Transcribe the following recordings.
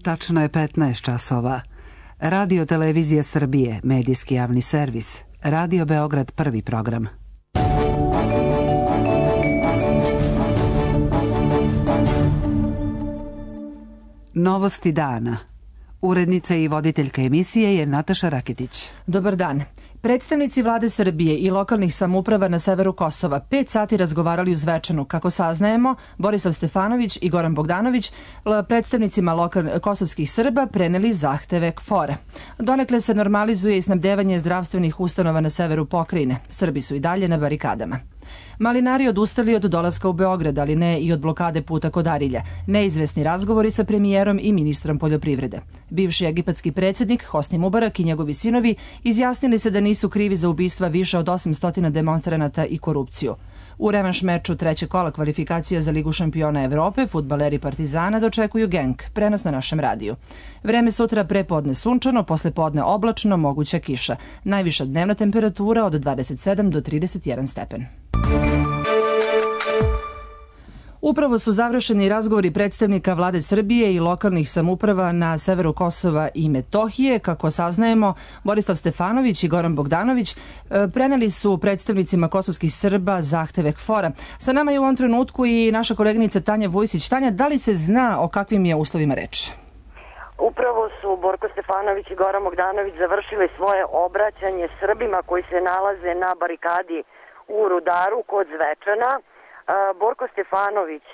Tačno je 15 časova. Radio Televizija Srbije, medijski javni servis. Radio Beograd, prvi program. Novosti dana. Urednica i voditeljka emisije je Nataša Raketić. Dobar dan. Predstavnici vlade Srbije i lokalnih samouprava na severu Kosova 5 sati razgovarali u Zvečanu. Kako saznajemo, Borislav Stefanović i Goran Bogdanović predstavnicima kosovskih Srba preneli zahteve KFOR-a. Donekle se normalizuje i snabdevanje zdravstvenih ustanova na severu pokrajine. Srbi su i dalje na barikadama. Malinari odustali od dolaska u Beograd, ali ne i od blokade puta kod Arilja. Neizvesni razgovori sa premijerom i ministrom poljoprivrede. Bivši egipatski predsjednik Hosni Mubarak i njegovi sinovi izjasnili se da nisu krivi za ubistva više od 800 demonstranata i korupciju. U revanš meču trećeg kola kvalifikacija za Ligu šampiona Evrope fudbaleri Partizana dočekuju Genk, prenos na našem radiju. Vreme sutra prepodne sunčano, posle podne oblačno, moguća kiša. Najviša dnevna temperatura od 27 do 31 stepen. Upravo su završeni razgovori predstavnika vlade Srbije i lokalnih samouprava na severu Kosova i Metohije. Kako saznajemo, Borislav Stefanović i Goran Bogdanović preneli su predstavnicima kosovskih Srba zahteve KFOR-a. Sa nama je u ovom trenutku i naša koleginica Tanja Vujsić. Tanja, da li se zna o kakvim je uslovima reč? Upravo su Borko Stefanović i Goran Bogdanović završili svoje obraćanje Srbima koji se nalaze na barikadi u Rudaru kod Zvečana. Borko Stefanović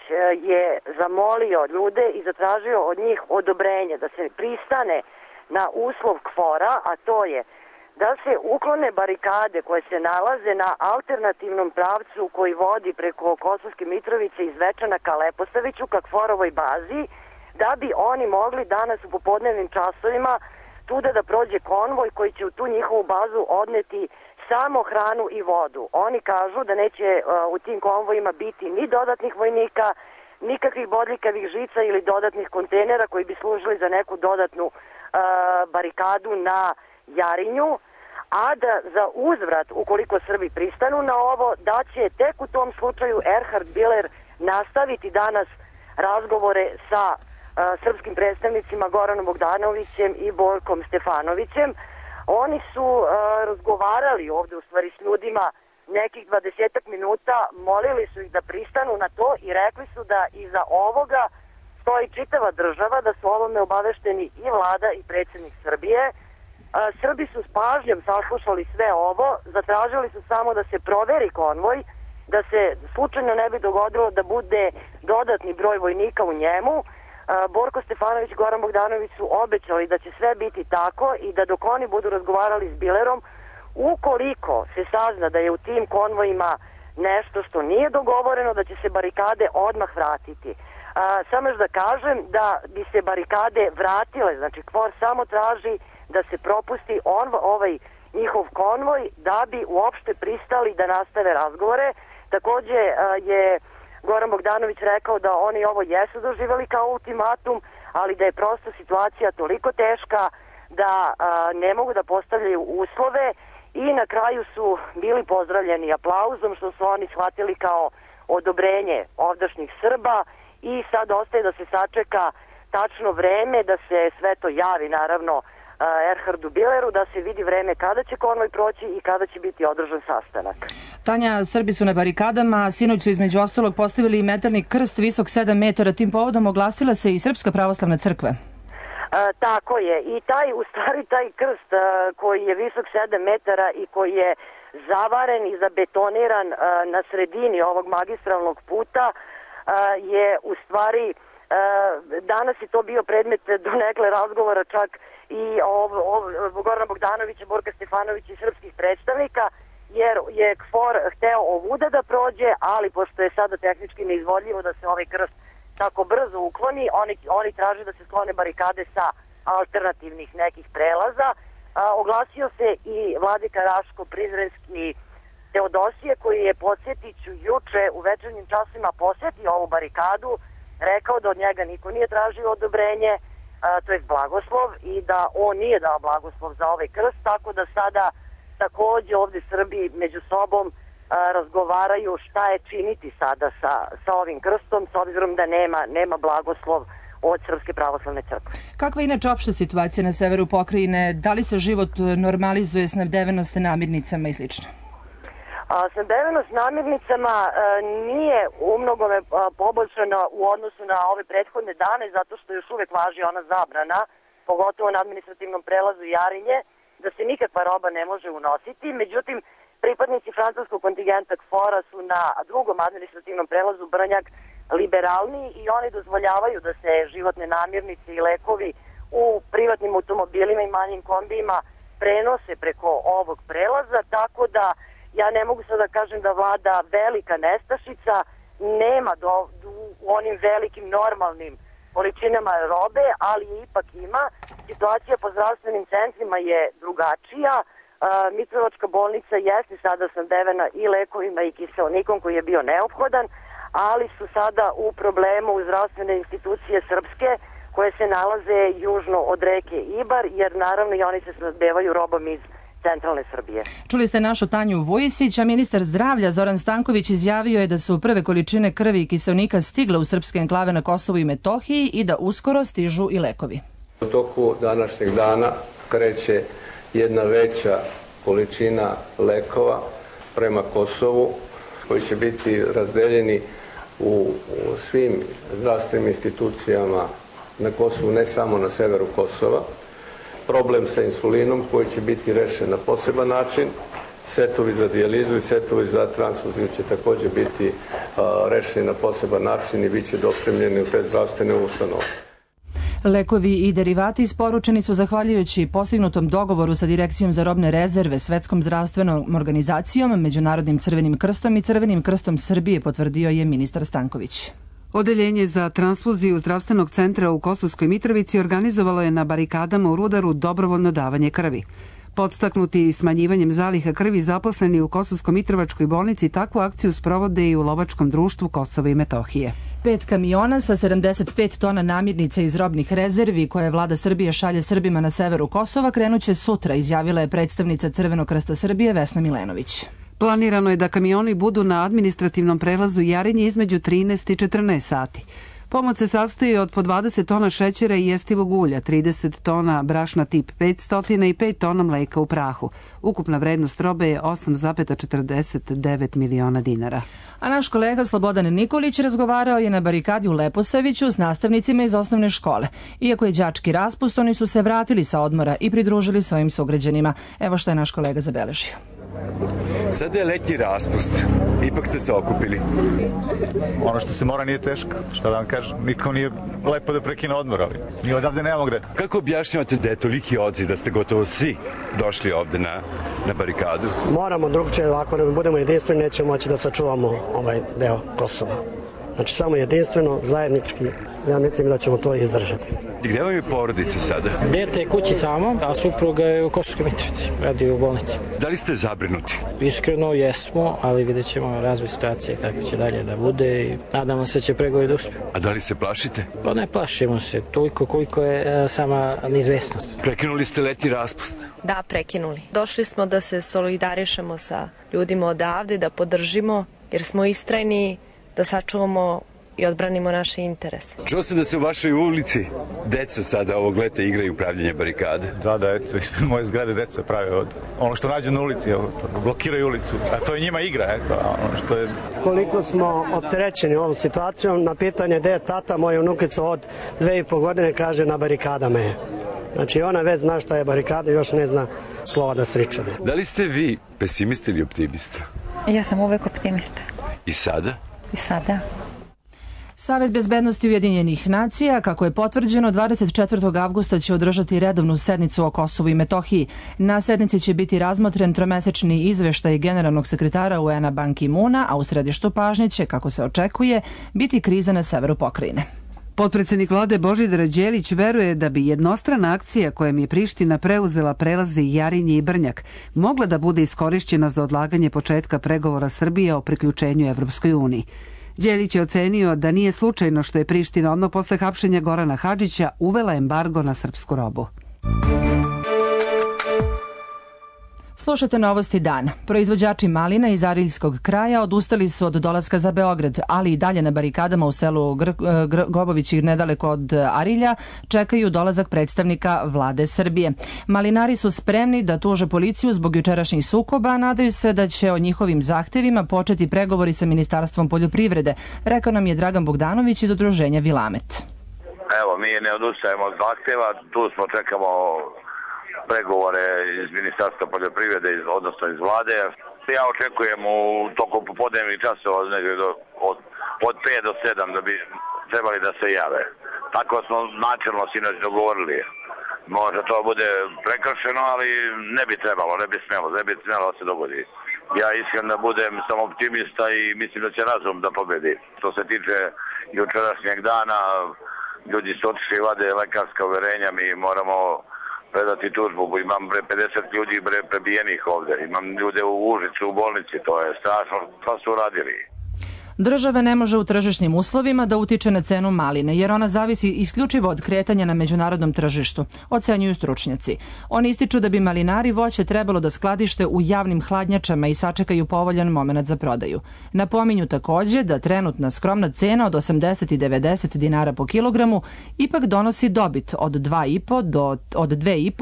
je zamolio ljude i zatražio od njih odobrenje da se pristane na uslov KFOR-a, a to je da se uklone barikade koje se nalaze na alternativnom pravcu koji vodi preko Kosovske Mitrovice iz Zvečana ka Leposaviću, ka KFOR-ovoj bazi, da bi oni mogli danas u popodnevnim časovima tuda da prođe konvoj koji će u tu njihovu bazu odneti samo hranu i vodu. Oni kažu da neće u tim konvojima biti ni dodatnih vojnika, nikakvih bodljikavih žica ili dodatnih kontejnera koji bi služili za neku dodatnu barikadu na Jarinju, a da za uzvrat, ukoliko Srbi pristanu na ovo, da će tek u tom slučaju Erhard Biler nastaviti danas razgovore sa srpskim predstavnicima Goranom Bogdanovićem i Borkom Stefanovićem. Oni su razgovarali ovde u stvari s ljudima nekih 20 minuta, molili su ih da pristanu na to i rekli su da iza ovoga stoji čitava država, da su ovome obavešteni i vlada i predsjednik Srbije. Srbi su s pažnjom saslušali sve ovo, zatražili su samo da se proveri konvoj, da se slučajno ne bi dogodilo da bude dodatni broj vojnika u njemu. Borko Stefanović i Goran Bogdanović su obećali da će sve biti tako i da dok oni budu razgovarali s Bilerom, ukoliko se sazna da je u tim konvojima nešto što nije dogovoreno, da će se barikade odmah vratiti. Samo još da kažem da bi se barikade vratile, znači KFOR samo traži da se propusti ovaj njihov konvoj da bi uopšte pristali da nastave razgovore. Takođe je Goran Bogdanović rekao da oni ovo jesu doživjeli kao ultimatum, ali da je prosto situacija toliko teška da ne mogu da postavljaju uslove i na kraju su bili pozdravljeni aplauzom što su oni shvatili kao odobrenje ovdašnjih Srba i sad ostaje da se sačeka tačno vreme, da se sve to javi naravno Erhardu Bileru, da se vidi vreme kada će konvoj proći i kada će biti održan sastanak. Tanja, Srbi su na barikadama, sinoć su između ostalog postavili i metalni krst visok 7 metara, tim povodom oglasila se i Srpska pravoslavna crkva. Tako je, i taj krst koji je visok 7 metara i koji je zavaren i zabetoniran na sredini ovog magistralnog puta je u stvari, danas je to bio predmet donekle razgovora čak i Gorana Bogdanovića, Borka Stefanovića i srpskih predstavnika, jer je KFOR hteo ovuda da prođe, ali pošto je sada tehnički neizvodljivo da se ovaj krst tako brzo ukloni, oni traže da se sklone barikade sa alternativnih nekih prelaza. Oglasio se i vladika Raško-Prizrenski Teodosije, koji je, podsjetit ću, juče u večernjim časima posjetio ovu barikadu, rekao da od njega niko nije tražio odobrenje, to je blagoslov, i da on nije dao blagoslov za ovaj krst, tako da sada takođe ovde Srbi među sobom razgovaraju šta je činiti sada sa ovim krstom, s obzirom da nema blagoslov od Srpske pravoslavne crkve. Kakva je inače opšta situacija na severu pokrajine? Da li se život normalizuje, snabdevenost namirnicama i slično? Snabdevenost namirnicama nije umnogome poboljšana u odnosu na ove prethodne dane, zato što još uvek važi ona zabrana, pogotovo na administrativnom prelazu Jarinje, da se nikakva roba ne može unositi. Međutim, pripadnici francuskog kontingenta KFOR-a su na drugom administrativnom prelazu Brnjak liberalniji i oni dozvoljavaju da se životne namirnice i lekovi u privatnim automobilima i manjim kombijima prenose preko ovog prelaza, tako da ja ne mogu sad da kažem da vlada velika nestašica, nema u onim velikim normalnim količinama robe, ali ipak ima. Situacija po zdravstvenim centrima je drugačija. Mitrovačka bolnica jeste sada snabdevena i lekovima i kiseonikom koji je bio neophodan, ali su sada u problemu u zdravstvene institucije srpske koje se nalaze južno od reke Ibar, jer naravno i oni se snabdevaju robom iz centralne Srbije. Čuli ste našu Tanju Vujisić, a ministar zdravlja Zoran Stanković izjavio je da su prve količine krvi i kiseonika stigle u srpske enklave na Kosovu i Metohiji i da uskoro stižu i lekovi. U toku današnjeg dana kreće jedna veća količina lekova prema Kosovu koji će biti razdeljeni u svim zdravstvenim institucijama na Kosovu, ne samo na severu Kosova. Problem sa insulinom koji će biti rešen na poseban način. Setovi za dijalizu i setovi za transfuziju će također biti rešeni na poseban način i bit će dopremljeni u te zdravstvene ustanove. Lekovi i derivati isporučeni su zahvaljujući postignutom dogovoru sa Direkcijom za robne rezerve, Svetskom zdravstvenom organizacijom, Međunarodnim crvenim krstom i Crvenim krstom Srbije, potvrdio je ministar Stanković. Odeljenje za transfuziju zdravstvenog centra u Kosovskoj Mitrovici organizovalo je na barikadama u Rudaru dobrovoljno davanje krvi. Podstaknuti smanjivanjem zaliha krvi, zaposleni u Kosovsko-Mitrovačkoj bolnici takvu akciju sprovode i u Lovačkom društvu Kosova i Metohije. 5 kamiona sa 75 tona namirnica iz robnih rezervi koje vlada Srbije šalje Srbima na severu Kosova krenuće sutra, izjavila je predstavnica Crvenog krsta Srbije Vesna Milenović. Planirano je da kamioni budu na administrativnom prelazu Jarinje između 13 i 14 sati. Pomoć se sastoji od po 20 tona šećera i jestivog ulja, 30 tona brašna tip 500 i 5 tona mleka u prahu. Ukupna vrednost robe je 8,49 miliona dinara. A naš kolega Slobodan Nikolić razgovarao je na barikadi u Leposaviću s nastavnicima iz osnovne škole. Iako je đački raspust, oni su se vratili sa odmora i pridružili svojim sugrađanima. Evo što je naš kolega zabeležio. Sada je letnji raspust. Ipak ste se okupili. Ono što se mora nije teško. Šta da vam kažem? Nikom nije lepo da prekine odmor, ali mi odavde nemamo gde. Kako objašnjavate da je toliki odziv, da ste gotovo svi došli ovde na barikadu? Moramo drugčije, ako ne budemo jedinstveni, nećemo moći da sačuvamo ovaj deo Kosova. Znači samo jedinstveno, zajednički, ja mislim da ćemo to izdržati. Gde vam je porodica sada? Dete je kući samo, a supruga je u Kosovskoj Mitrovici, radi u bolnici. Da li ste zabrinuti? Iskreno jesmo, ali vidjet ćemo razvoj situacije kako će dalje da bude i nadamo se da će pregovori da uspiju. A da li se plašite? Pa ne plašimo se, toliko koliko je sama neizvesnost. Prekinuli ste letnji raspust? Da, prekinuli. Došli smo da se solidarišemo sa ljudima odavde, da podržimo, jer smo istrajni da sačuvamo i odbranimo naše interese. Čuo sam da se u vašoj ulici deca sada ovog leta igraju upravljanje barikade. Da, eto, ispred moje zgrade deca prave od ono što nađu na ulici, blokiraju ulicu, a to je njima igra, eto, ono što je... Koliko smo opterećeni ovom situacijom, na pitanje gde je tata, moja unukica od 2,5 godine kaže na barikadama je. Znači ona već zna šta je barikada i još ne zna slova da sriče. Da li ste vi pesimista ili optimista? Ja sam uvek optimista. I sada? I sada. Savet bezbednosti Ujedinjenih nacija, kako je potvrđeno, 24. avgusta će održati redovnu sednicu o Kosovu i Metohiji. Na sednici će biti razmotren tromesečni izveštaj generalnog sekretara UN-a Ban Ki-moona, a u središtu pažnje će, kako se očekuje, biti kriza na severu pokrajine. Potpredsednik vlade Božidar Đelić veruje da bi jednostrana akcija kojom je Priština preuzela prelaze Jarinje i Brnjak mogla da bude iskorišćena za odlaganje početka pregovora Srbije o priključenju Evropskoj uniji. Đelić je ocenio da nije slučajno što je Priština odmah posle hapšenja Gorana Hadžića uvela embargo na srpsku robu. Slušate novosti dana. Proizvođači malina iz Ariljskog kraja odustali su od dolaska za Beograd, ali i dalje na barikadama u selu Gobovići nedaleko od Arilja čekaju dolazak predstavnika vlade Srbije. Malinari su spremni da tuže policiju zbog jučerašnjih sukoba, a nadaju se da će o njihovim zahtevima početi pregovori sa Ministarstvom poljoprivrede, rekao nam je Dragan Bogdanović iz udruženja Vilamet. Evo, mi ne odustajemo od zahteva, tu smo, čekamo pregovore iz Ministarstva poljoprivrede, odnosno iz vlade. Ja očekujem u toku popodnevnih časova od 5 do 7 da bi trebali da se jave. Tako smo načelno sinoć dogovorili. Možda to bude prekršeno, ali ne bi trebalo, ne bi smjelo da se dogodi. Ja iskreno da budem sam optimista i mislim da će razum da pobedi. Što se tiče jučerašnjeg dana, ljudi su otišli i vade lekarska uverenja, mi moramo predati tužbu. Imam 50 ljudi prebijenih ovdje, imam ljude u Užicu, u bolnici, to je strašno, što su uradili. Država ne može u tržišnim uslovima da utiče na cenu maline, jer ona zavisi isključivo od kretanja na međunarodnom tržištu, ocenjuju stručnjaci. Oni ističu da bi malinari voće trebalo da skladište u javnim hladnjačama i sačekaju povoljan moment za prodaju. Napominju također da trenutna skromna cena od 80 i 90 dinara po kilogramu ipak donosi dobit od 2,5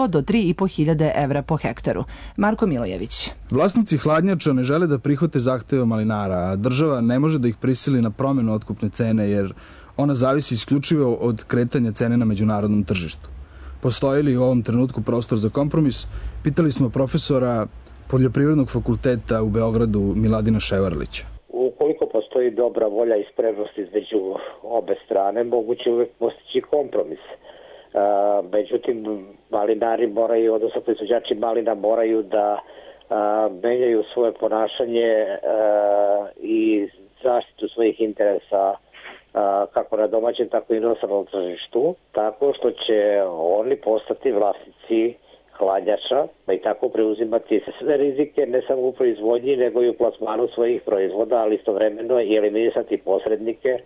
do 3,5 hiljade evra po hektaru. Marko Milojević. Vlasnici hladnjača ne žele da prihvate zahteve malinara, a država ne može da ih prisili na promjenu otkupne cene, jer ona zavisi isključivo od kretanja cene na međunarodnom tržištu. Postoji li u ovom trenutku prostor za kompromis? Pitali smo profesora Poljoprivrednog fakulteta u Beogradu Miladina Ševarlića. Ukoliko postoji dobra volja i spremnost između obe strane, moguće uvek postići kompromis. Međutim, malinari moraju, odnosno proizvođači malina moraju da menjaju svoje ponašanje i zaštitu svojih interesa kako na domaćem, tako i inostranom tržištu, tako što će oni postati vlasnici hladnjača, pa i tako preuzimati sve rizike, ne samo u proizvodnji, nego i u plasmanu svojih proizvoda, ali istovremeno i eliminisati posrednike,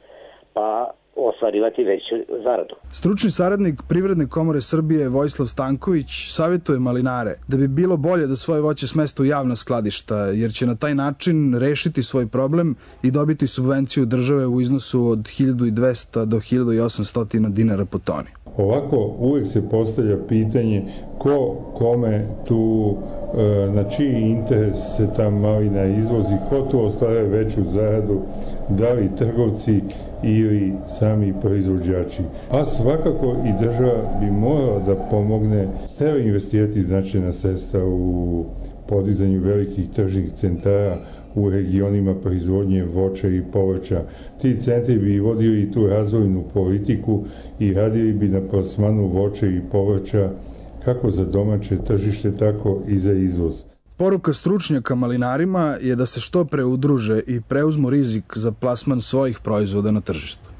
pa ostvarivati veću zaradu. Stručni saradnik Privredne komore Srbije Vojislav Stanković savjetuje malinare da bi bilo bolje da svoje voće smeste u javna skladišta, jer će na taj način rešiti svoj problem i dobiti subvenciju države u iznosu od 1200 do 1800 dinara po toni. Ovako uvijek se postavlja pitanje ko kome tu, na čiji interes se ta malina izvozi, ko tu ostvaruje veću zaradu, da li trgovci ili sami proizvođači. A svakako i država bi morala da pomogne, treba investirati značajna sredstva u podizanju velikih tržnih centara u regionima proizvodnje voća i povrća. Ti centri bi vodili i tu razvojnu politiku i radili bi na plasmanu voća i povrća kako za domaće tržište, tako i za izvoz. Poruka stručnjaka malinarima je da se što pre udruže i preuzmu rizik za plasman svojih proizvoda na tržištu.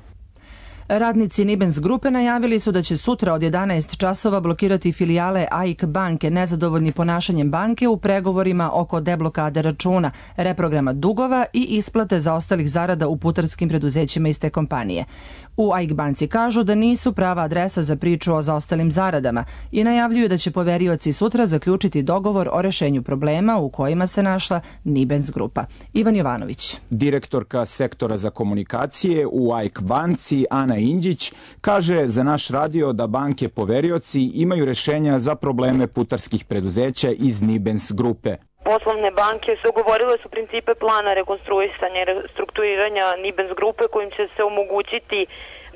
Radnici Nibens grupe najavili su da će sutra od 11 časova blokirati filijale AIK banke nezadovoljni ponašanjem banke u pregovorima oko deblokade računa, reprograma dugova i isplate zaostalih zarada u putarskim preduzećima iz te kompanije. U AIK banci kažu da nisu prava adresa za priču o zaostalim zaradama i najavljuju da će poverioci sutra zaključiti dogovor o rešenju problema u kojima se našla Nibens grupa. Ivan Jovanović. Direktorka sektora za komunikacije u AIK banci Ana Indjić kaže za naš radio da banke poverioci imaju rešenja za probleme putarskih preduzeća iz Nibens grupe. Poslovne banke su ugovorile su principe plana rekonstruisanja i restrukturiranja Nibens grupe kojim će se omogućiti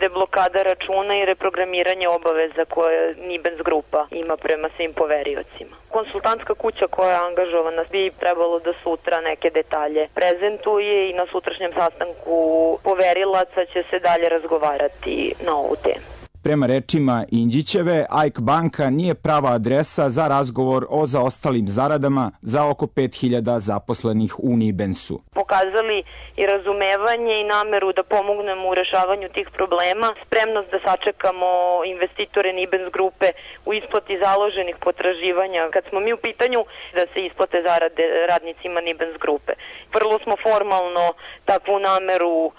deblokada računa i reprogramiranje obaveza koje Nibens grupa ima prema svim poveriocima. Konsultantska kuća koja je angažovana bi trebalo da sutra neke detalje prezentuje i na sutrašnjem sastanku poverilaca će se dalje razgovarati na ovu temu. Prema rečima Indjićeve, AIK banka nije prava adresa za razgovor o zaostalim zaradama za oko 5000 zaposlenih u Nibensu. Pokazali i razumevanje i nameru da pomognemo u rešavanju tih problema, spremnost da sačekamo investitore Nibens grupe u isplati založenih potraživanja. Kad smo mi u pitanju da se isplate zarade radnicima Nibens grupe, vrlo smo formalno takvu nameru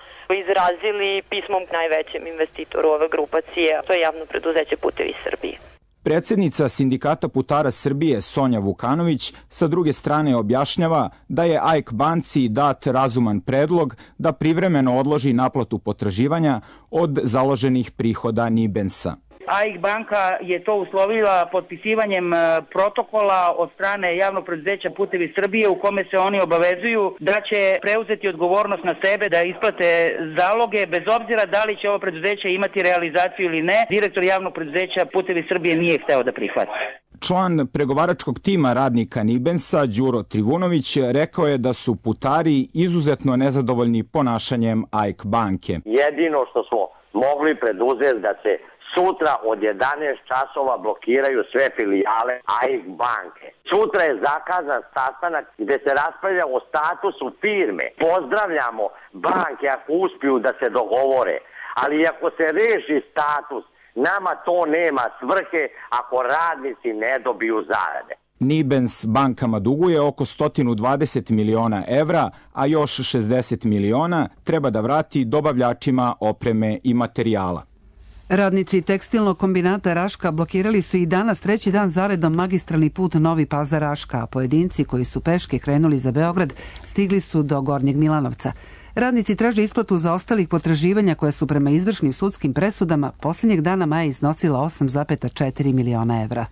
izrazili pismom najvećem investitoru ove grupacije, to je javno preduzeće Putevi Srbije. Predsjednica Sindikata putara Srbije Sonja Vukanović sa druge strane objašnjava da je AIK banci dat razuman predlog da privremeno odloži naplatu potraživanja od založenih prihoda Nibensa. AIK banka je to uslovila potpisivanjem protokola od strane javnog preduzeća Putevi Srbije u kome se oni obavezuju da će preuzeti odgovornost na sebe da isplate zaloge bez obzira da li će ovo preduzeće imati realizaciju ili ne. Direktor javnog preduzeća Putevi Srbije nije hteo da prihvati. Član pregovaračkog tima radnika Nibensa, Đuro Trivunović, rekao je da su putari izuzetno nezadovoljni ponašanjem AIK banke. Jedino što smo mogli preduzeti da se sutra od 11 časova blokiraju sve filijale AIK banke. Sutra je zakazan sastanak gde se raspravlja o statusu firme. Pozdravljamo banke ako uspiju da se dogovore, ali ako se reši status, nama to nema svrhe ako radnici ne dobiju zarade. Nibens bankama duguje oko 120 miliona evra, a još 60 miliona treba da vrati dobavljačima opreme i materijala. Radnici tekstilnog kombinata Raška blokirali su i danas treći dan zaredom magistralni put Novi Pazar-Raška, a pojedinci koji su peške krenuli za Beograd stigli su do Gornjeg Milanovca. Radnici traže isplatu za ostalih potraživanja koja su prema izvršnim sudskim presudama posljednjeg dana maja iznosila 8,4 miliona evra.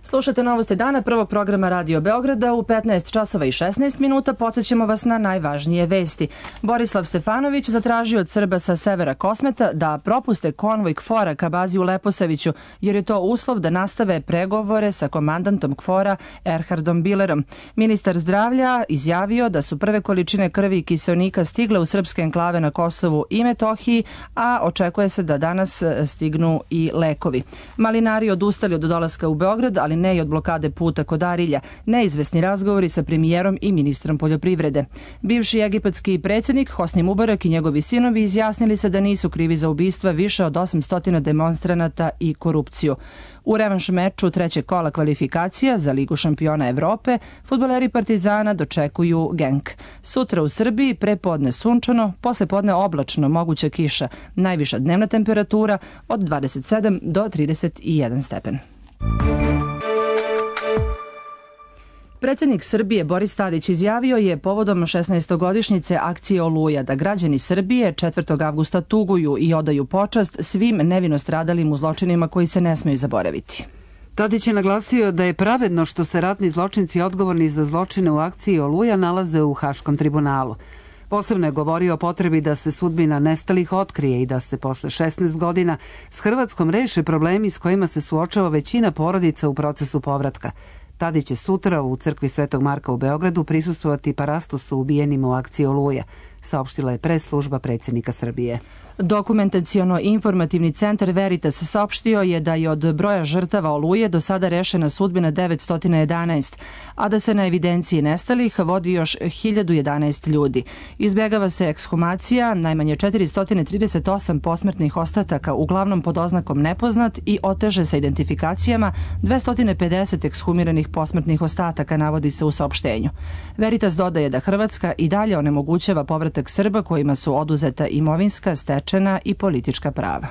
Slušate Novosti dana prvog programa Radio Beograda u 15 časova i 16 minuta. Podsjećamo vas na najvažnije vesti. Borislav Stefanović zatražio od Srba sa severa Kosmeta da propuste konvoj KFOR-a ka bazi u Leposaviću, jer je to uslov da nastave pregovore sa komandantom KFOR-a Erhardom Bilerom. Ministar zdravlja izjavio da su prve količine krvi i kiseonika stigle u srpske enklave na Kosovu i Metohiji, a očekuje se da danas stignu i lekovi. Malinari odustali od dolaska u Beograd, ali ne i od blokade puta kod Arilja. Neizvesni razgovori sa premijerom i ministrom poljoprivrede. Bivši egipatski predsjednik Hosni Mubarak i njegovi sinovi izjasnili se da nisu krivi za ubistva više od 800 demonstranata i korupciju. U revanš meču trećeg kola kvalifikacija za Ligu šampiona Evrope fudbaleri Partizana dočekuju Genk. Sutra u Srbiji prepodne sunčano, posle podne oblačno, moguća kiša. Najviša dnevna temperatura od 27 do 31 stepen. Predsjednik Srbije Boris Tadić izjavio je povodom 16-godišnjice akcije Oluja da građani Srbije 4. avgusta tuguju i odaju počast svim nevino stradalim u zločinima koji se ne smeju zaboraviti. Tadić je naglasio da je pravedno što se ratni zločinci odgovorni za zločine u akciji Oluja nalaze u Haškom tribunalu. Posebno je govorio o potrebi da se sudbina nestalih otkrije i da se posle 16 godina s Hrvatskom reše problemi s kojima se suočava većina porodica u procesu povratka. Tadić će sutra u crkvi Svetog Marka u Beogradu prisustvovati parastosu ubijenima u akciji Oluja, saopštila je press-služba predsjednika Srbije. Dokumentaciono-informativni centar Veritas saopštio je da je od broja žrtava Oluje do sada rešena sudbina 911, a da se na evidenciji nestalih vodi još 1011 ljudi. Izbjegava se ekshumacija najmanje 438 posmrtnih ostataka, uglavnom pod oznakom nepoznat, i oteže sa identifikacijama 250 ekshumiranih posmrtnih ostataka, navodi se u saopštenju. Veritas dodaje da Hrvatska i dalje onemogućava povratak Srba kojima su oduzeta imovinska, stečena i politička prava.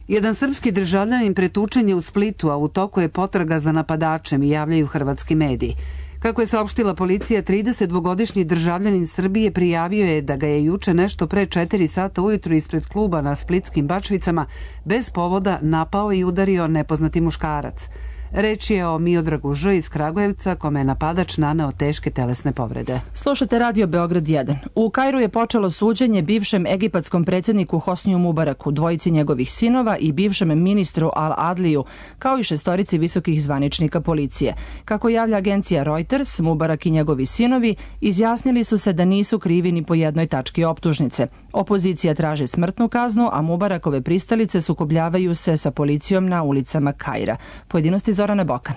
Jedan srpski državljanin pretučen je u Splitu, a u toku je potraga za napadačem, i javljaju hrvatski mediji. Kako je saopštila policija, 32-godišnji državljanin Srbije prijavio je da ga je juče nešto pre 4 sata ujutru ispred kluba na Splitskim Bačvicama bez povoda napao i udario nepoznati muškarac. Reč je o Miodragu Ž iz Kragujevca, kome je napadač naneo teške telesne povrede. Slušate Radio Beograd 1. U Kairu je počelo suđenje bivšem egipatskom predsjedniku Hosniju Mubaraku, dvojici njegovih sinova i bivšem ministru Al-Adliju, kao i 6 visokih zvaničnika policije. Kako javlja agencija Reuters, Mubarak i njegovi sinovi izjasnili su se da nisu krivi ni po jednoj tački optužnice. Opozicija traži smrtnu kaznu, a Mubarakove pristalice sukobljavaju se sa policijom na ulicama Kaira. Pojedinosti Zorana Bokan.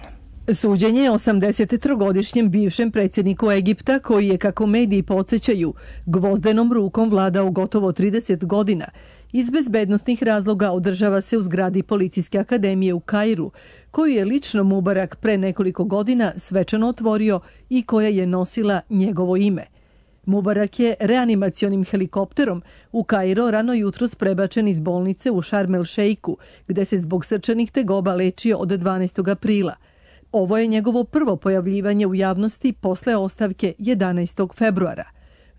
Suđenje je 83-godišnjem bivšem predsjedniku Egipta, koji je, kako mediji podsjećaju, gvozdenom rukom vladao gotovo 30 godina. Iz bezbednostnih razloga održava se u zgradi Policijske akademije u Kairu, koju je lično Mubarak pre nekoliko godina svečano otvorio i koja je nosila njegovo ime. Mubarak je reanimacionim helikopterom u Kairo rano jutros prebačen iz bolnice u Šarm el Šeiku, gde se zbog srčanih tegoba lečio od 12. aprila. Ovo je njegovo prvo pojavljivanje u javnosti posle ostavke 11. februara.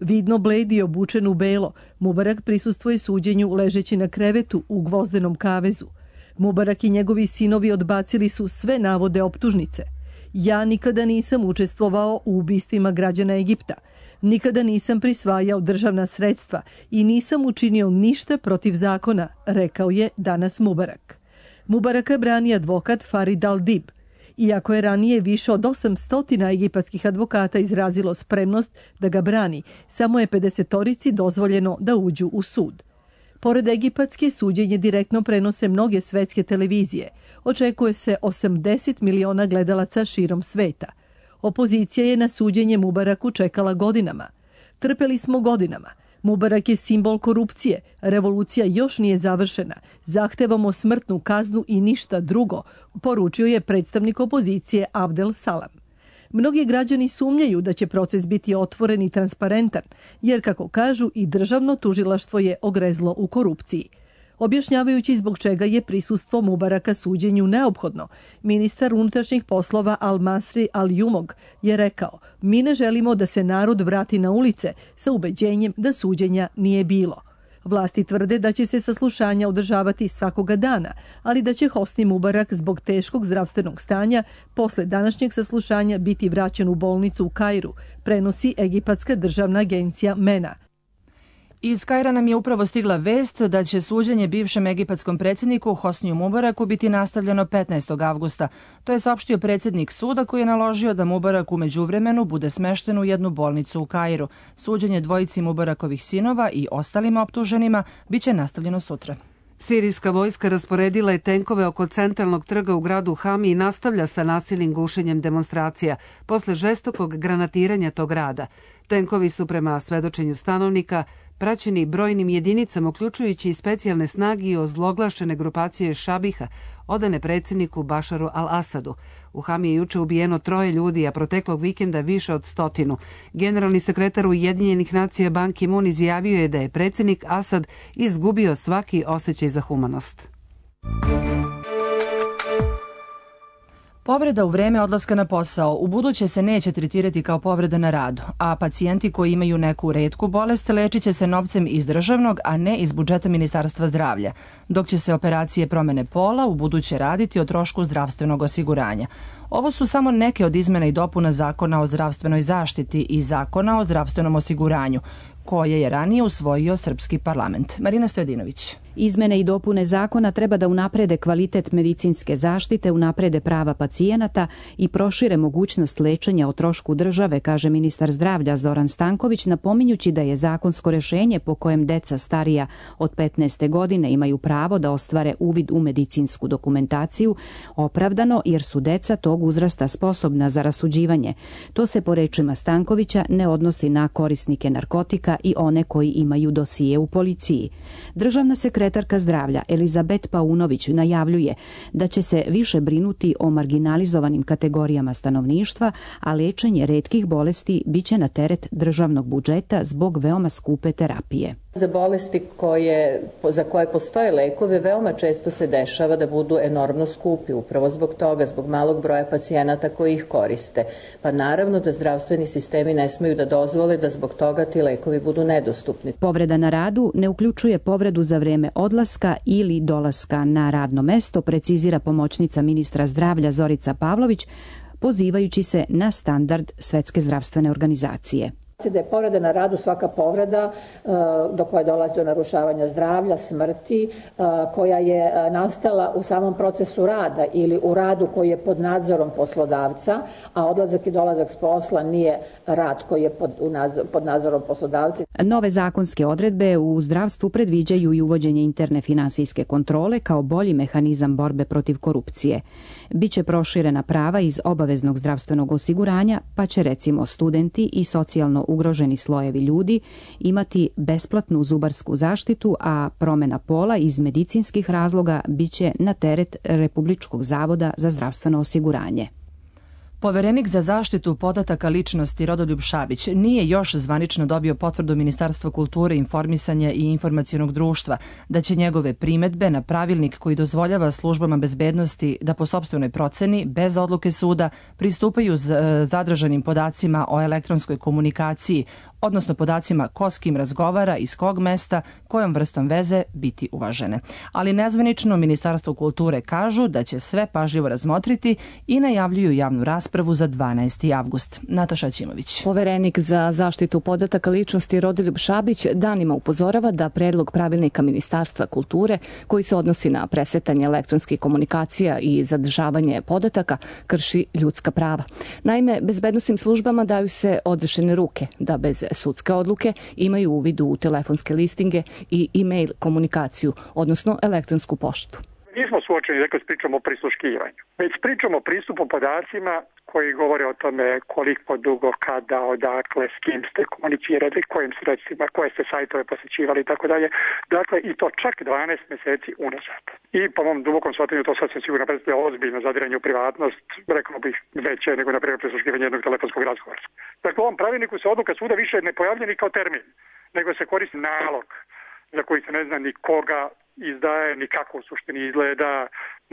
Vidno bled i obučen u belo, Mubarak prisustvuje suđenju ležeći na krevetu u Gvozdenom kavezu. Mubarak i njegovi sinovi odbacili su sve navode optužnice. Ja nikada nisam učestvovao u ubistvima građana Egipta. Nikada nisam prisvajao državna sredstva i nisam učinio ništa protiv zakona, rekao je danas Mubarak. Mubaraka brani advokat Farid al-Dib. Iako je ranije više od 800 egipatskih advokata izrazilo spremnost da ga brani, samo je 50-torici dozvoljeno da uđu u sud. Pored egipatske, suđenje direktno prenose mnoge svetske televizije. Očekuje se 80 miliona gledalaca širom sveta. Opozicija je na suđenje Mubaraku čekala godinama. Trpeli smo godinama. Mubarak je simbol korupcije, revolucija još nije završena, zahtevamo smrtnu kaznu i ništa drugo, poručio je predstavnik opozicije Abdel Salam. Mnogi građani sumnjaju da će proces biti otvoren i transparentan, jer kako kažu i državno tužilaštvo je ogrezlo u korupciji. Objašnjavajući zbog čega je prisustvo Mubaraka suđenju neophodno, ministar unutrašnjih poslova Al-Masri Al-Jumog je rekao: mi ne želimo da se narod vrati na ulice sa ubeđenjem da suđenja nije bilo. Vlasti tvrde da će se saslušanja održavati svakoga dana, ali da će Hosni Mubarak zbog teškog zdravstvenog stanja posle današnjeg saslušanja biti vraćen u bolnicu u Kairu, prenosi egipatska državna agencija MENA. Iz Kaira nam je upravo stigla vest da će suđenje bivšem egipatskom predsjedniku Hosniju Mubaraku biti nastavljeno 15. avgusta. To je saopštio predsjednik suda koji je naložio da Mubarak u međuvremenu bude smešten u jednu bolnicu u Kairu. Suđenje dvojici Mubarakovih sinova i ostalima optuženima biće nastavljeno sutra. Sirijska vojska rasporedila je tenkove oko centralnog trga u gradu Hami i nastavlja sa nasilnim gušenjem demonstracija posle žestokog granatiranja tog grada. Tenkovi su prema svedočenju stanovnika praćeni brojnim jedinicama, uključujući i specijalne snage i ozloglašene grupacije Šabiha, odane predsjedniku Bašaru al-Asadu. U Hami je juče ubijeno 3 ljudi, a proteklog vikenda više od 100. Generalni sekretar Ujedinjenih nacija Ban Ki-moon izjavio je da je predsjednik Asad izgubio svaki osjećaj za humanost. Povreda u vreme odlaska na posao ubuduće se neće tretirati kao povreda na radu, a pacijenti koji imaju neku retku bolest lečit će se novcem iz državnog, a ne iz budžeta Ministarstva zdravlja, dok će se operacije promene pola ubuduće raditi o trošku zdravstvenog osiguranja. Ovo su samo neke od izmena i dopuna Zakona o zdravstvenoj zaštiti i Zakona o zdravstvenom osiguranju, koje je ranije usvojio srpski parlament. Marina Stojadinović. Izmene i dopune zakona treba da unaprede kvalitet medicinske zaštite, unaprede prava pacijenata i prošire mogućnost lečenja o trošku države, kaže ministar zdravlja Zoran Stanković, napominjući da je zakonsko rešenje po kojem deca starija od 15. godine imaju pravo da ostvare uvid u medicinsku dokumentaciju opravdano jer su deca tog uzrasta sposobna za rasuđivanje. To se po rečima Stankovića ne odnosi na korisnike narkotika i one koji imaju dosije u policiji. Državna sekretarka zdravlja Elizabet Paunović najavljuje da će se više brinuti o marginalizovanim kategorijama stanovništva, a lečenje retkih bolesti biće na teret državnog budžeta zbog veoma skupe terapije. Za bolesti za koje postoje lekove veoma često se dešava da budu enormno skupi, upravo zbog toga, zbog malog broja pacijenata koji ih koriste. Pa naravno da zdravstveni sistemi ne smeju da dozvole da zbog toga ti lekovi budu nedostupni. Povreda na radu ne uključuje povredu za vreme odlaska ili dolaska na radno mesto, precizira pomoćnica ministra zdravlja Zorica Pavlović, pozivajući se na standard Svetske zdravstvene organizacije. Da je povreda na radu svaka povreda do koje dolazi do narušavanja zdravlja, smrti, koja je nastala u samom procesu rada ili u radu koji je pod nadzorom poslodavca, a odlazak i dolazak s posla nije rad koji je pod nadzorom poslodavca. Nove zakonske odredbe u zdravstvu predviđaju i uvođenje interne finansijske kontrole kao bolji mehanizam borbe protiv korupcije. Biće proširena prava iz obaveznog zdravstvenog osiguranja, pa će recimo studenti i socijalno ugroženi slojevi ljudi imati besplatnu zubarsku zaštitu, a promjena pola iz medicinskih razloga biće na teret Republičkog zavoda za zdravstveno osiguranje. Poverenik za zaštitu podataka ličnosti Rodoljub Šabić nije još zvanično dobio potvrdu Ministarstva kulture, informisanja i informacionog društva da će njegove primedbe na pravilnik koji dozvoljava službama bezbednosti da po sopstvenoj proceni, bez odluke suda, pristupaju zadržanim podacima o elektronskoj komunikaciji, odnosno podacima ko s kim razgovara, iz kog mesta, kojom vrstom veze biti uvažene. Ali nezvanično Ministarstvo kulture kažu da će sve pažljivo razmotriti i najavljuju javnu raspravu za 12. avgust. Nataša Ćimović. Poverenik za zaštitu podataka ličnosti Rodoljub Šabić danima upozorava da predlog pravilnika Ministarstva kulture koji se odnosi na presretanje elektronskih komunikacija i zadržavanje podataka krši ljudska prava. Naime, bezbednosnim službama daju se odrešene ruke da bez sudske odluke imaju uvid u telefonske listinge i e-mail komunikaciju, odnosno elektronsku poštu. Nismo suočeni s pričom o prisluškivanju, već pričamo o pristupu podacima koji govore o tome koliko dugo, kada, odakle, s kim ste komunicirali, kojim sredstvima, koje ste sajtove posjećivali i tako dalje. Dakle, i to čak 12 mjeseci unazad. I po mom dubokom shvatanju to sasvim sigurno predstavlja ozbiljno zadiranje u privatnost, rekao bih veće nego na primjer prisluškivanje jednog telefonskog razgovora. Dakle, u ovom pravilniku se odluka suda više ne pojavlja ni kao termin, nego se koristi nalog za koji se ne zna ni koga izdaje, ni kako u suštini izgleda.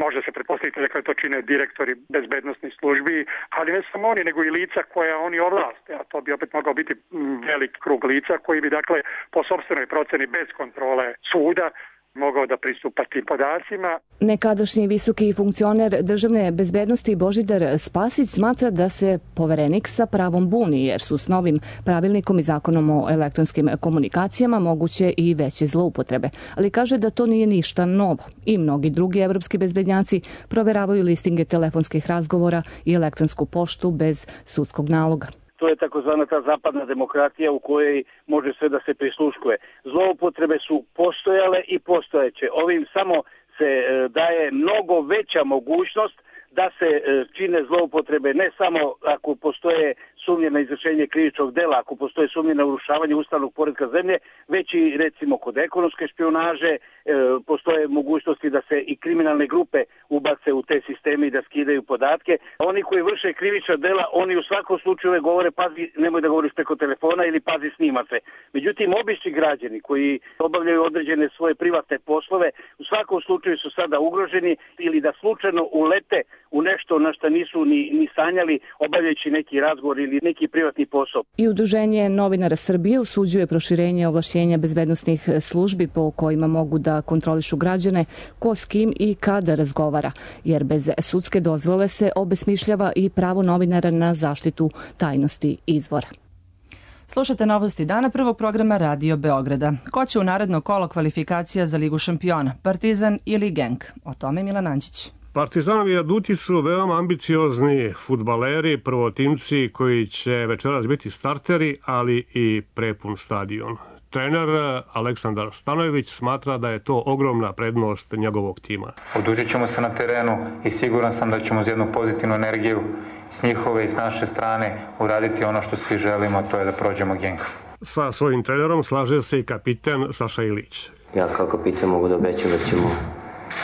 Može se pretpostaviti da to čine direktori bezbednosnih službi, ali ne samo oni, nego i lica koja oni ovlaste, a to bi opet mogao biti velik krug lica koji bi dakle po sopstvenoj proceni bez kontrole suda mogao da pristupa tim podacima. Nekadašnji visoki funkcioner državne bezbednosti Božidar Spasić smatra da se Poverenik sa pravom buni, jer su s novim pravilnikom i zakonom o elektronskim komunikacijama moguće i veće zloupotrebe. Ali kaže da to nije ništa novo i mnogi drugi evropski bezbednjaci proveravaju listinge telefonskih razgovora i elektronsku poštu bez sudskog naloga. To je takozvana ta zapadna demokratija u kojoj može sve da se prisluškuje. Zloupotrebe su postojale i postojeće. Ovim samo se daje mnogo veća mogućnost da se čine zloupotrebe ne samo ako postoje sumnje na izvršenje krivičnog dela, ako postoje sumnje na urušavanje ustavnog poretka zemlje, već i recimo kod ekonomske špijunaže postoje mogućnosti da se i kriminalne grupe ubace u te sisteme i da skidaju podatke. Oni koji vrše krivična dela, oni u svakom slučaju govore pazi, nemoj da govoriš preko telefona ili pazi snima se. Međutim, obični građani koji obavljaju određene svoje privatne poslove, u svakom slučaju su sada ugroženi ili da slučajno ulete u nešto na što nisu ni sanjali obavljajući neki razgovor ili neki privatni posao. I Udruženje novinara Srbije osuđuje proširenje ovlašćenja bezbednosnih službi po kojima mogu da kontrolišu građane ko s kim i kada razgovara, jer bez sudske dozvole se obesmišljava i pravo novinara na zaštitu tajnosti izvora. Slušate novosti dana prvog programa Radio Beograda. Ko će u naredno kolo kvalifikacija za Ligu šampiona? Partizan ili Genk? O tome Milan Anđić. Partizanovi aduti su veoma ambiciozni fudbaleri, prvotimci koji će večeras biti starteri, ali i prepun stadion. Trener Aleksandar Stanojević smatra da je to ogromna prednost njegovog tima. Odužit ćemo se na terenu i siguran sam da ćemo uz jednu pozitivnu energiju s njihove i s naše strane uraditi ono što svi želimo, to je da prođemo Genk. Sa svojim trenerom slaže se i kapiten Saša Ilić. Ja kao kapiten mogu da obećam da ćemo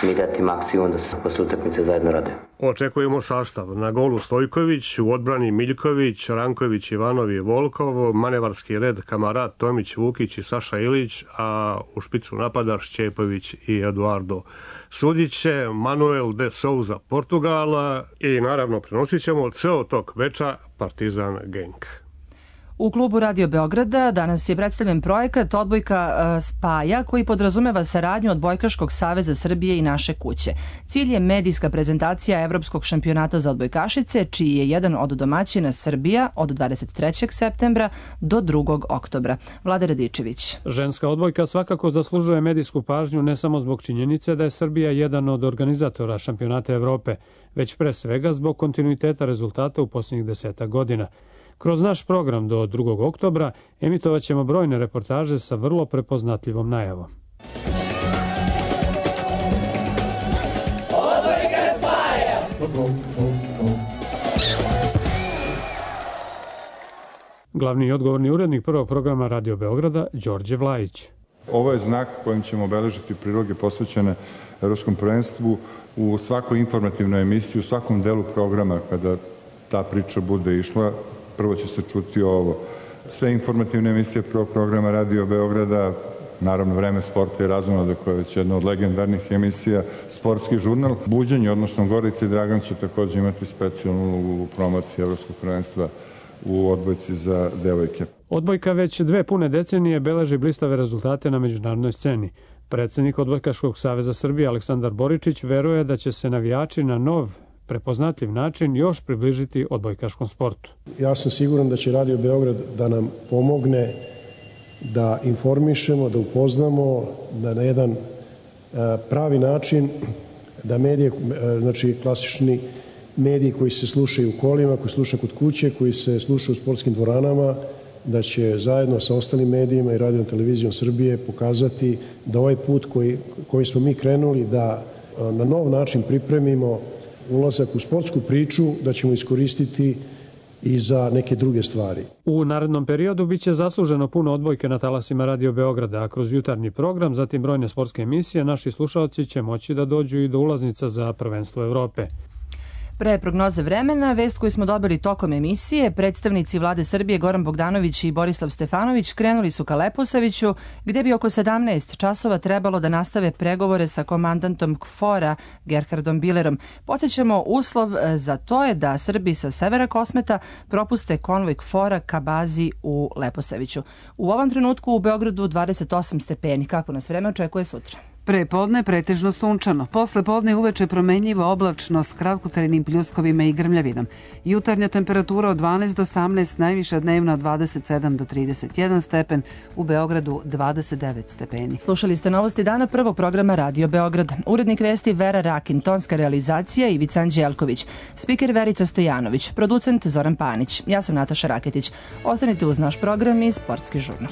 mi dati maksimum da se posle utakmice zajedno rade. Očekujemo sastav. Na golu Stojković, u odbrani Miljković, Ranković, Ivanov i Volkov, manevarski red Kamarat, Tomić, Vukić i Saša Ilić, a u špicu napada Šćepović i Eduardo Sudiće, Manuel de Souza Portugala i naravno prenosit ćemo ceo tok veča Partizan Genk. U klubu Radio Beograda danas je predstavljen projekat Odbojka spaja koji podrazumeva saradnju Odbojkaškog saveza Srbije i Naše kuće. Cilj je medijska prezentacija Evropskog šampionata za odbojkašice, čiji je jedan od domaćina Srbija od 23. septembra do 2. oktobra. Vlada Radičević. Ženska odbojka svakako zaslužuje medijsku pažnju ne samo zbog činjenice da je Srbija jedan od organizatora šampionata Evrope, već pre svega zbog kontinuiteta rezultata u posljednjih 10 godina. Kroz naš program do 2. oktobra emitovat ćemo brojne reportaže sa vrlo prepoznatljivom najavom. Odbojka spaja! Glavni i odgovorni urednik prvog programa Radio Beograda, Đorđe Vlajić. Ovo je znak kojim ćemo obeležiti priloge posvećene Evropskom prvenstvu u svakoj informativnoj emisiji, u svakom delu programa kada ta priča bude išla, prvo će se čuti ovo. Sve informativne emisije prvog programa Radio Beograda, naravno Vreme sporta i razonode koja je već jedna od legendarnih emisija, sportski žurnal, Buđenje, odnosno Gorica i Dragan će također imati specijalnu ulogu u promociji Evropskog prvenstva u odbojci za devojke. Odbojka već 2 pune decenije beleži blistave rezultate na međunarodnoj sceni. Predsednik Odbojkaškog saveza Srbije Aleksandar Boričić veruje da će se navijači na nov, prepoznatljiv način još približiti odbojkaškom sportu. Ja sam siguran da će Radio Beograd da nam pomogne da informišemo, da upoznamo, da na jedan pravi način, da medije, znači klasični mediji koji se slušaju u kolima, koji slušaju kod kuće, koji se slušaju u sportskim dvoranama, da će zajedno sa ostalim medijima i Radio televizijom Srbije pokazati da ovaj put koji smo mi krenuli, da na nov način pripremimo ulazak u sportsku priču, da ćemo iskoristiti i za neke druge stvari. U narednom periodu biće zasluženo puno odbojke na talasima Radio Beograda, a kroz jutarnji program, zatim brojne sportske emisije, naši slušaoci će moći da dođu i do ulaznica za prvenstvo Evrope. Pre prognoze vremena, vest koju smo dobili tokom emisije, predstavnici vlade Srbije Goran Bogdanović i Borislav Stefanović krenuli su ka Leposaviću, gde bi oko 17 časova trebalo da nastave pregovore sa komandantom KFOR-a Gerhardom Bilerom. Podsjećamo, uslov za to je da Srbi sa severa Kosmeta propuste konvoj KFOR-a ka bazi u Leposaviću. U ovom trenutku u Beogradu 28 stepeni. Kako nas vreme očekuje sutra? Pre podne pretežno sunčano, posle podne uveče promenljivo oblačno s kratkotrajnim pljuskovima i grmljavinom. Jutarnja temperatura od 12 do 18, najviša dnevna od 27 do 31 stepen, u Beogradu 29 stepeni. Slušali ste novosti dana prvog programa Radio Beograd. Urednik vesti Vera Rakin, tonska realizacija Ivica Anđelković, spiker Verica Stojanović, producent Zoran Panić. Ja sam Nataša Raketić. Ostanite uz naš program i Sportski žurnal.